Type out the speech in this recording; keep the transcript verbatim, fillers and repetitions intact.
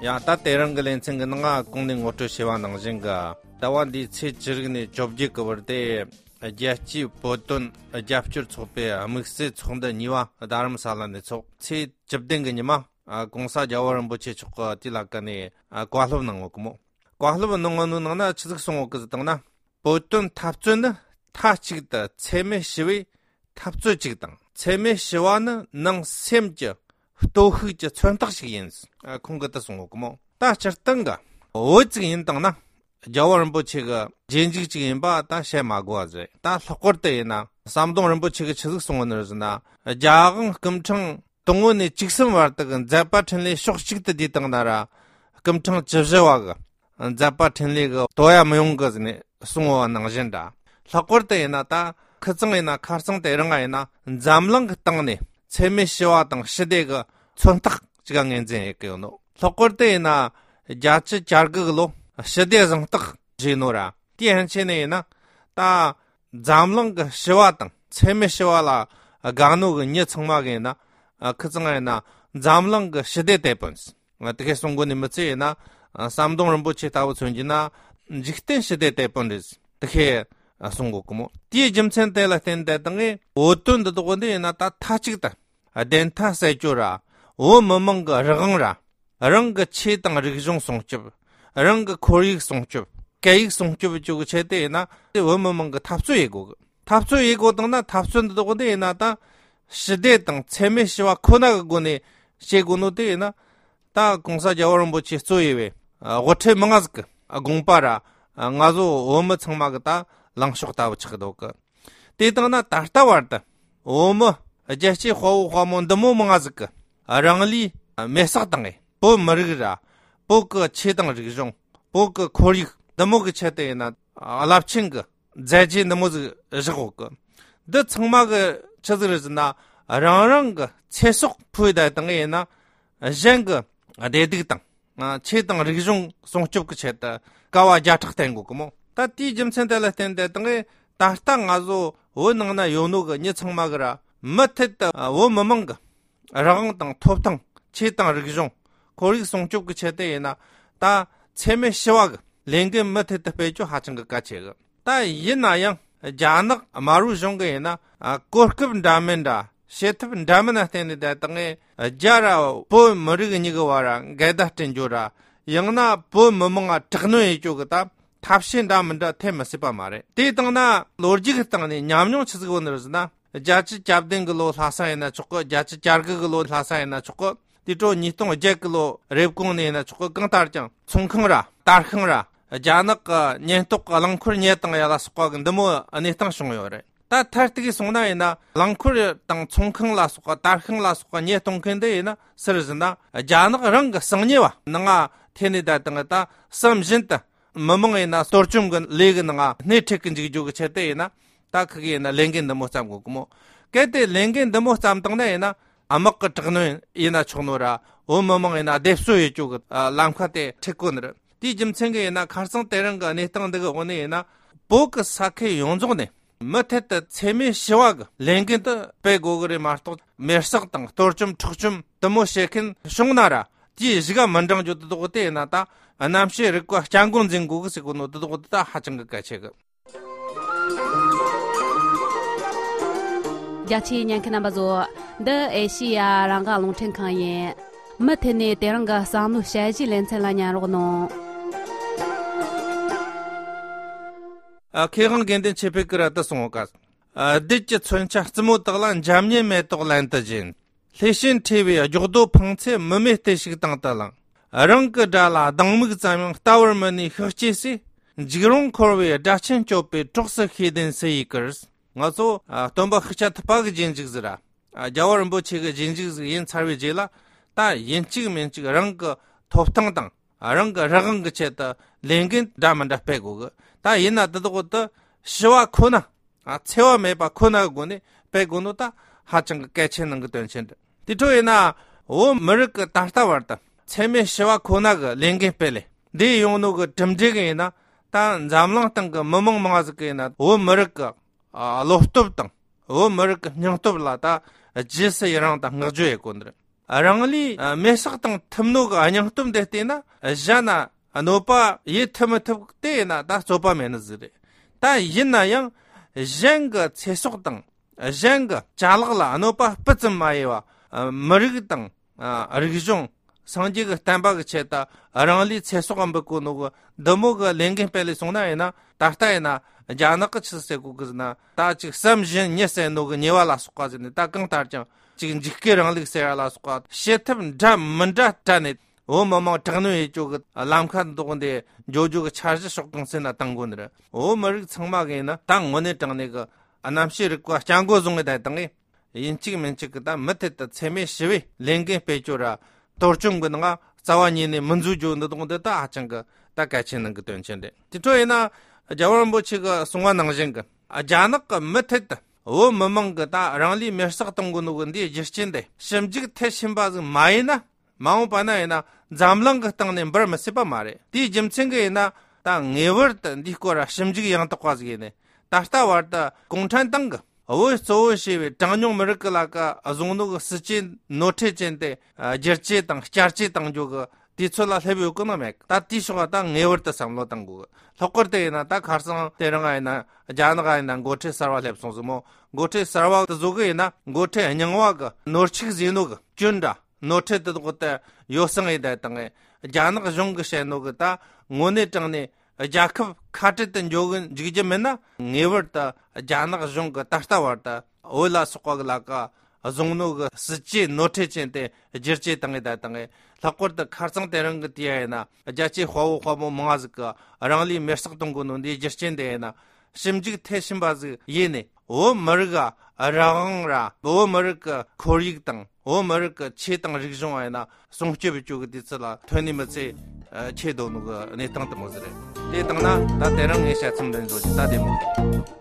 ཡང་ད་དེ་རིང་གི་ལེ་ཚན་གྱི་ནང་ང་གོང་ནས་ངོ་སྤྲོད་བྱས་པ་ནང་བཞིན་གྱི་ཟླ་བ་འདིའི་ཚེས་བཅུ་དྲུག་ནས་བཅོ་བརྒྱད་ཀྱི་བར་དུ་རྒྱལ་སྤྱིའི་བོད་དོན་རྒྱབ་སྐྱོར་ཚོགས་པའི་དམིགས་བསལ་ཚོགས་འདུ་གཉིས་པ་རྡ་རམ་ས་ལ་ནས་ཚོགས། ཚེས་བཅུ་བདུན་གྱི་ཉི་མ་ཨ་༸གོང་ས་རྒྱལ་བ་རིན་པོ་ཆེ་མཆོག་གིས་དེ་ལ་ཀ་ནས་ཨ་བཀའ་སློབ་གནང་ཡོད་གི་མོ། བཀའ་སློབ་གནང་བ་ནང་ན་ཆི་ཟིག་གསུངས་ཡོད་གི་ཟེར་བཏང་ན། བོད་དོན་འཐབ་རྩོད་ནི་མཐའ་གཅིག་ཏུ་འཚེ་མེད་ཞི་བའི་འཐབ་རྩོད་ཅིག་དང་། འཚེ་མེད་ཞི་བ་ནི་ནང་སེམས་ཀྱི་སྟོབས་ཤུགས་ཀྱི་མཚོན་རྟགས་ཤིག་ཡིན། ཨ་ཁོང་གིས་ད་གསུངས་ཡོད་གི་མོ། ད་སྤྱིར་བཏང་གི་བོད་ཅིག་ཡིན་བཏང་ན་རྒྱལ་བ་རིན་པོ་ཆེ་གི་རྗེས་འཇུག་ཅིག་ཡིན་པ་ད་བཤད་མ་དགོས་པ་རེད། ད་ལྷག་པར་དུ་ཡིན་ན་ཟམ་གདོང་རིན་པོ་ཆེ་གིས་ཆི་ཟིག་གསུངས་ཡོད་ནི་རེད་ཟེར་ན། རྒྱ་གང་སྐུ་ཕྲེང་དང་པོ་ནས་བཅུ་གསུམ་བར་དུ་གི་མཛད་པ་འཕྲིན་ལས་ཕྱོགས་གཅིག་ཏུ་བསྡུས་བཏང་ན་ར། སྐུ་ཕྲེང་བཅུ་བཞི་བ་གི་མཛད་པ་འཕྲིན་ལས་གི་དོ་ཡ་མི་ཡོང་གི་ཟེར་ནས་གསུངས་པ་ནང་བཞིན་འདྲ། ལྷག་པར་དུ་ཡིན་ན་ད་ཁི་ཚང་ཡིན་ན་ཁ་རྩང་དེ་རིང་ང་ཡིན་ན་འཛམ་གླིང་གི་སྟེང་ནས་འཚེ་མེད་ཞི་བ་དང་ཞི་བདེ་གི་མཚོན་རྟགས་ཅིག་ངོས་འཛིན་ཡེད་གི་ཡོད་ནོ། ལྷག་པར་དུ་ཡིན་ན་བརྒྱད་ཅུ་གྱ་དགུ་གི་ལོ་ཞི་བདེ་གཟེངས་རྟགས་བཞེས་ནོ་ར། དེའི་ཕན་ཆད་ནས་ཡིན་ན་ད་འཛམ་གླིང་གི་ཞི་བ་དང་འཚེ་མེད་ཞི་བ་ལ་དགའ་ནོ་གི་མྱི་ཚང་མ་གི་ཡིན་ན། ཨ་ཁི་ཚང་ཡིན་ན་འཛམ་གླིང་གི་ཞི་བདེ་དེད་དཔོན། ཨ་དེ་ཁའི་གསུང་གོ་ནི་མི་ཚེ་ཡིན་ན། ཨ་ཟམ་གདོང་རིན་པོ་ཆེ་ལྟ་བུ་མཚོན་གྱི་ན་འཇིག་རྟེན་ཞི་བདེ་དེད་དཔོན་རེད། དེ་ཁའི་ཨ་གསུང་གོ་གི་མོ། དེའི་རྒྱུ་མཚན་དེ་ལ་བརྟེན་ཏེ་དང་ངས་བོད་དོན་འདི་དག་འདི་ཡིན་ན་ད་མཐའ་གཅིག་ཏུ་བདེན་མཐའ་གསལ་སྐྱོ་ར། བོད་མི་མང་གི་རང་དབང་ར། རང་གི་ཆོས་དང་རིག་གཞུང་སྲུང་སྐྱོབ། རང་གི་ཁོར་ཡུག་སྲུང་སྐྱོབ། སྐད་ཡིག་སྲུང་སྐྱོབ་བཅོ་གི་ཆེད་དུ་ཡིན་ན་དེ་བོད་མི་མང་གི་འཐབ་རྩོད་ཡེད་དགོ་གི། འཐབ་རྩོད་ཡེད་དགོ་དང་ན་འཐབ་རྩོད་འདི་དག་འདི་ཡིན་ན་ད་ཞི་བདེ་དང་འཚེ་མེད་ཞི་བ་ཁོ་ན་གི་སྒོ་ནས་བྱེད་དགོ་ནོ་དེ་ཡིན་ན། ད་གོང་ས་རྒྱལ་བ་རིན་པོ་ཆེ་གཙོས་ཡོད་པའི་དབུ་ཁྲིད་མི་མང་ཟིག་གི་དགོངས་པ་ར། ང་ཚོ་བོད་མི་ཚང་མ་གི་ད་ལངས་ཕྱོགས་ལྟ་བུ་ཆགས་འདུག་གི། དེ་དང་ན་ད་ལྟ་བར་དུ་བོད་མི་རྒྱལ་གཅེས་དཔའ་བོ་དཔའ་མོ་འདི་མོ་མང་ཟིག་གི་རང་ལུས་མེར་སྲེག་བཏང་ངས་བོད་མི་རིགས་ར། བོད་གི་ཆོས་དང་རིག་གཞུང་། བོད་གི་ཁོར་ཡུག་འདི་མོ་གི་ཆེད་དུ་ཡིན་ན་རླབས་ཆེན་གི་མཛད་རྗེས་འདི་མོ་ཟིག་བཞག་ཡོད་གི། འདི་ཚང་མ་གི་ཆི་ཟིག་རེད་ཟེར་ན་རང་རང་གི་ཚེ་སྲོག་ཕུལ་བསྡད་བཏང་ངས་ཡིན་ན་གཞན་གི་བདེ་སྡུག་དང་། ཆོས་དང་རིག་གཞུང་སྲུང་སྐྱོབ་ཀྱི་ཆེད་དུ་དཀའ་བ་བརྒྱ་ཕྲག་བསྟེན་དགོས་ཀྱི་མོ། ད་དེའི་རྒྱུ་མཚན་དེ་ལ་བརྟེན་ཏེ་དང་ངས་ད་ལྟ་ང་ཚོ་བོད་ནང་ན་ཡོད་ནོ་གི་མྱི་ཚང་མ་གི་ར་མུ་མཐུད་དུ་བོད་མི་མང་གི་རང་དབང་དང་ཐོབ་ཐང་། ཆོས་དང་རིག་གཞུང་། ཁོར་ཡུག་སྲུང་སྐྱོབ་ཀྱི་ཆེད་དུ་ཡིན་ན་ད་འཚེ་མེད་ཞི་བ་གི་ལས་འགན་མུ་མཐུད་དུ་སྤེལ་རྒྱུ་ཧ་ཅང་གི་གལ་ཆེ་གི། ད་ཡིན་ན་ཡང་རྒྱ་ནག་དམར་པོའི་གཞུང་གི་ཡིན་ན་ཨ་གོ་སྐབས་འདྲ་མིན་འདྲ། བྱེད་ཐབས་འདྲ་མིན་ན་བརྟེན་ནས་ད་དང་ངས་རྒྱ་ར་བོད་མི་རིགས་གཉིས་ཀྱི་བར་འགལ་ཟླ་སྐྲུན་རྒྱུ་ར། ཡང་ན་བོད་མི་མང་ང་དྲག་གནོན་ཡེད་རྒྱུ་གི་ད་ཐབས་ཤེས་འདྲ་མིན་འདྲ་ཐེབས་མི་སྲིད་པ་མ་རེད། དེ་དང་ན་ལོ་རྒྱུས་ཀྱི་སྟེང་ནས་ཉམས་མྱོང་ཆི་ཟིག་ཡོད་ནི་རེད་ཟེར་ན། བརྒྱད་ཅུ་གྱ་བདུན་གི་ལོ་ལྷག་ས་ཡིན་ན་ཆོག་གི། བརྒྱད་ཅུ་གྱ་དགུ་གི་ལོ་ལྷག་ས་ཡིན་ན་ཆོག་གི། དེ་འཕྲོ་ཉིས་སྟོང་བརྒྱད་གི་ལོ་རེབ་གོང་ནས་ཡིན་ན་ཆོག་གི། གང་ལྟར་ཀྱང་ཚོང་ཁང་ར་དར་ཤིང་ར་རྒྱ་ནག་གི་ཉེན་རྟོག་གི་རླངས་འཁོར་ཉོས་བཏང་ཡ་ལ་སོགས་པ་གི་འདི་མོ་གནས་སྟངས་བྱུང་ཡོད་རེད། ད་མཐར་གཏུགས་སོང་ན་ཡིན་ན་རླངས་འཁོར་དང་ཚོང་ཁང་ལ་སོགས་པ་དར་ཤིང་ལ་སོགས་པ་ཉོས་གཏོང་མཁན་འདི་ཡིན་ན་སུ་རེད་ཟེར་ན་རྒྱ་ནག་རང་གི་གསང་ཉེས་པ་ནང་ང་ཐེ་ནས་ད་དང་ད་བསམ་བཞིན་དུ་མི་མང་ཡིན་ན་གཏོར་བཅོམ་གི་ལས་གི་ནང་ང་སྣེ་ཁྲིད་གི་འཇུག་རྒྱུ་གི་ཆེད་དུ་ཡིན་ན། ད་ཁི་གི་ཡིན་ན་ལས་འགན་འདི་མོ་བརྩམ་དགོས་གི་མོ། གལ་ཏེ་ལས་འགན་འདི་མོ་བརྩམ་བཏང་ན་ཡིན་ན་དམག་གི་དྲག་གནོན་ཡིན་ན་ཆོག་ནོ་ར། བོད་མི་མང་ཡིན་ན་སྡེབ་གསོད་ཡེད་རྒྱུ་གི་ལམ་ཁ་དེ་ཁྲིད་དགོས་ནི་རེད། དེའི་རྒྱུ་མཚན་གི་ཡིན་ན་ཁ་སང་དེ་རིང་གི་གནས་སྟངས་འདི་གི་འོག་ནས་ཡིན་ན་བོད་གི་ས་ཁུལ་ཡོངས་རྫོགས་ནས་མུ་མཐུད་དུ་འཚེ་མེད་ཞི་བ་གི་ལས་འགན་དུ་སྤེལ་དགོས་གི་རེད་མ་གཏོགས། མེར་སྲེག་དང་གཏོར་བཅོམ་འཕྲོག་བཅོམ་དུ་མོ་བྱེད་མཁན་བྱུང་ན་ར་དེའི་གཞུག་ག་མི་འབྲང་རྒྱུ་དེ་དག་དེ་ཡིན་ན་ད་རྣམ་ཤེས་རིག་པ་སྐྱབས་མགོན་འཛིན་དགོས་གི་ཟེར་གོ་ནོ་དེ་དག་དེ་ད་ཧ་ཅང་གི་གལ་ཆེ་གི། རྒྱ་ཆེའི་ཉན་མཁན་རྣམ་པ་ཚོ། འདི་ཨེ་ཤི་ཡ་རང་དབང་རླུང་འཕྲིན་ཁང་ཡིན། མུ་མཐུད་ནས་དེ་རིང་གི་བསམ་བློའི་དཔྱད་གཞིའི་ལེ་ཚན་ལ་ཉན་རོགས་གནང་། ཨ། མཁས་དབང་དགེ་འདུན་ཆོས་འཕེལ་གིས་ར་ད་གསུངས་ཡོད་ག། ཨ། བདུད་ཀྱི་མཚོན་ཆ་རྩུབ་མོ་དག་ལ་འཇམ་མཉེན་མེ་ཏོག་ལན་དུ་སྦྱིན། ལྷས་བྱིན་ཁྲོས་པའི་སྒྱོགས་རྡོ་འཕངས་ཚེ། མི་མེད་བརྟུལ་ཞུགས་དང་དུ་བླངས། རང་གི་དགྲ་ལ་སྡང་མིག་ཙམ་ཡང་ལྟ་བར་མི་ནུས་ཤིག་ཅེས་སི། འཇིགས་རུང་འཁོར་བའི་དགྲ་ཆེན་སྐྱོབ་པའི་གྲོགས་སུ་ཤེས་ལྡན་སུ་ཡིས་བསྐུལ། ང་ཚོ་ཨ་སྟོན་པ་ཤཱཀྱ་ཐུབ་པ་གི་རྗེས་འཇུག་ཟིག་ར། ཨ་རྒྱལ་བ་རིན་པོ་ཆེ་གི་རྗེས་འཇུག་ཟིག་ཡིན་ཚར་བའི་རྗེས་ལ་ད་ཡིན་གཅིག་མིན་གཅིག་རང་གི་ཐོབ་ཐང་དང་རང་གི་རང་དབང་གི་ཆེད་དུ་ལས་འགན་འདྲ་མི་འདྲ་སྤེལ་དགོས་གི། ད་ཡིན་ན་དེ་དག་དེ་ཞི་བ་ཁོ་ན། ཨ། འཚེ་བ་མེད་པ་ཁོ་ན་གི་སྒོ་ནས་སྤེལ་དགོས་ནོ་ད་ཧ་ཅང་གི་གལ་ཆེན་ནང་གི་དོན་ཆེན་རེད། དེ་འཕྲོ་ཡིན་ན་བོད་མི་རིགས་ཀྱི་ད་ལྟ་བར་དུ་འཚེ་མེད་ཞི་བ་ཁོ་ན་གི་ལས་འགན་སྤེལ་ལེ་འདི་ཡོང་ནོ་གི་གྲུབ་འབྲས་གི་ཡིན་ན། ད་འཛམ་གླིང་སྟེང་གི་མི་མང་མང་ཟིག་གི་ཡིན་ན་བོད་མི་རིགས་ཀྱི་ཨ་བློ་སྟོབས་དང་བོད་མི་རིགས་ཀྱི་སྙིང་སྟོབས་ལ་ད་རྗེས་སུ་ཡི་རང་དང་བསྔགས་བརྗོད་ཡེད་དགོས་ནི་རེད། རང་ལུས་མེར་སྲེག་བཏང་ཐུབ་ནོ་གི་སྙིང་སྟོབས་འདི་བལྟས་ན་གཞན་ན་གནོད་པ་ཡེ་ཐུབ་མི་ཐུབ་དེ་ཡིན་ན་ད་རྩོད་པ་མེད་ནི་ཟིག་རེད། ད་ཡིན་ན་ཡང་གཞན་གྱི་ཚེ་སྲོག་དང་གཞན་གྱི་ཅ་ལག་ལ་གནོད་པ་སྤུ་ཙམ་མ་ཡེ་བ། མི་རིགས་དང་རིག་གཞུང་སངས་རྒྱས་ཀྱི་བསྟན་པ་གི་ཆེད་དུ་རང་ལུས་ཚེ་སྲོག་འབུལ་གོ་ནོ་གི་འདི་མོ་གི་ལས་འགན་སྤེལ་ལས་སོང་ན་ཡིན་ན། ད་ལྟ་ཡིན་ན་རྒྱ་ནག་གི་ཆི་ཟེར་གོ་གི་ཟེར་ན། ད་ཅིག་བསམ་བཞིན་ཉི་ཟེར་ནོ་གི་ཉེས་པ་ལ་སོགས་པ་ཟེར་ནས། ད་གང་ལྟར་ཀྱང་ཅིག་འཇིགས་སྐུལ་རིང་ལུགས་ཟེར་ཡ་ལ་སོགས་པ་བྱེད་ཐབས་འདྲ་མི་འདྲ་སྤྲད་ནས། བོད་མི་མང་དྲག་གནོན་ཡེད་རྒྱུ་གི་ལམ་ཁ་འདོགས་འདི་འཇོག་རྒྱུ་གི་འཆར་གཞི་ཕྱོགས་གང་ཟེར་ན་བཏང་དགོས་ནི་རེད། བོད་མི་རིགས་ཚང་མ་གི་ཡིན་ན་ད་དངོས་གནས་དྲང་གནས་གི་རྣམ་ཤེས་རིག་པ་སྐྱབས་མགོན་བཟུང་ངེ་བསྡད་བཏང་ངེ། ཡིན་གཅིག་མིན་གཅིག་གི་ད་མུ་མཐུད་དུ་འཚེ་མེད་ཞི་བའི་ལས་འགན་སྤེལ་རྒྱུ་ར། གཏོར་བཅོམ་གི་ནང་རྩ་བ་ཉིད་ནས་མི་འཛུལ་རྒྱུ་འདི་དག་འདི་ད་ཧ་ཅང་གི་ད་གལ་ཆེན་ནང་གི་དོན་ཆེན་རེད། དེ་འཕྲོ་ཡིན་ན་རྒྱལ་བ་རིན་པོ་ཆེ་གི་གསུང་བ་ནང་བཞིན་གི་རྒྱ་ནག་གི་མུ་མཐུད་དུ་བོད་མི་མང་གི་ད་རང་ལུས་མེར་སྲེག་གཏོང་གི་ནོ་གི་འདིའི་རྒྱུ་རྐྱེན་དེ་ཞིབ་འཇུག་མཐིལ་ཕྱིན་པ་ཟིག་མ་ཡིན་ན། མ་འོངས་པ་ན་ཡིན་ན་འཛམ་གླིང་གི་སྟེང་ནས་འབུར་མི་སྲིད་པ་མ་རེད། དེའི་རྒྱུ་མཚན་གི་ཡིན་ན་ད་ངེས་པར་དུ་འདིའི་སྐོར་ལ་ཞིབ་འཇུག་ཡང་དག་པ་ཟིག་ཡིན་ནས། ད་ལྟ་བར་དུ་གུང་ཁྲན་ཏང་གི་བོད་གཙོ་བོ་བྱས་པའི་གྲངས་ཉུང་མི་རིགས་ཀྱི་ལ་ཀ་བཟུང་ནོ་གི་སྲིད་ཇུས་ནོར་འཁྲུལ་ཅན་དེ་བསྒྱུར་བཅོས་དང་བསྐྱར་བཅོས་གཏང་རྒྱུ་གི་དུས་ཚོད་ལ་སླེབས་ཡོད་གི་ནི་མེད། ད་དེའི་ཕྱོགས་ལ་ད་ངེས་པར་དུ་བསམ་བློ་གཏང་དགོས། ལྷག་པར་དུ་ཡིན་ན་ད་ཁ་སང་དེ་རིང་ཡིན་ན་རྒྱ་ནག་ཡིན་ན་འགོ་ཁྲིད་གསར་བ་སླེབས་སོང་ཟིག་མོ། འགོ་ཁྲིད་གསར་བ་དེ་ཚོ་གི་ཡིན་ན་འགོ་ཁྲིད་རྙིང་བ་གི་ནོར་འཁྲུལ་ཟིན་ནོ་གི་སྐྱོན་འདྲ། ནོར་འཁྲུལ་དེ་དག་དེ་ཡོ་བསྲང་ཡེ་བསྡད་བཏང་ངེ། རྒྱ་ནག་གཞུང་གིས་བཤད་ནོ་གི་ད་དངོས་གནས་དྲང་གནས་རྒྱལ་ཁབ་ཁ་བྲལ་དུ་འགྱོ་གི་འཇུག་རྒྱུ་མིན་ན། ངེས་པར་དུ་རྒྱ་ནག་གཞུང་གིས་ད་ལྟ་བར་དུ་བོད་ལ་སོགས་པ་གི་ལ་ཀ་བཟུང་ནོ་གི་སྲིད་ཇུས་ནོར་འཁྲུལ་ཅན་དེ་བསྒྱུར་བཅོས་བཏང་ངེ་བསྡད་བཏང་ངེ། ལྷག་པར་དུ་ཁ་རྩང་དེ་རིང་གི་དུས་ཡིན་ན་རྒྱལ་གཅེས་དཔའ་བོ་དཔའ་མོ་མང་ཟིག་གིས་རང་ལུས་མེར་སྲེག་གཏོང་གི་ནོ་འདིའི་རྒྱུ་རྐྱེན་དེ་ཡིན་ན། ཞིབ་འཇུག་མཐིལ་ཕྱིན་པ་ཟིག་ཡེ་ནས་བོད་མི་རིགས་ཀྱི་རང་དབང་ར། བོད་མི་རིགས་ཀྱི་ཁོར་ཡུག་དང་བོད་མི་རིགས་ཀྱི་ཆོས་དང་རིག་གཞུང་ཡིན་ན་སྲུང་སྐྱོབ་བྱེད་རྒྱུ་གི་དུས་ཚོད་ལ་ཐོན་ནི་མི་ཚད་ཆེ་དོ་ནོ་གི་གནས་སྟངས་དེ་མོ་ཟིག་རེད། དེ་བཏང་ན་ད་དེ་རིང་ངས་བཤད་མཚམས་འདི་འཇོག་རྒྱུ་ད་བདེ་མོ།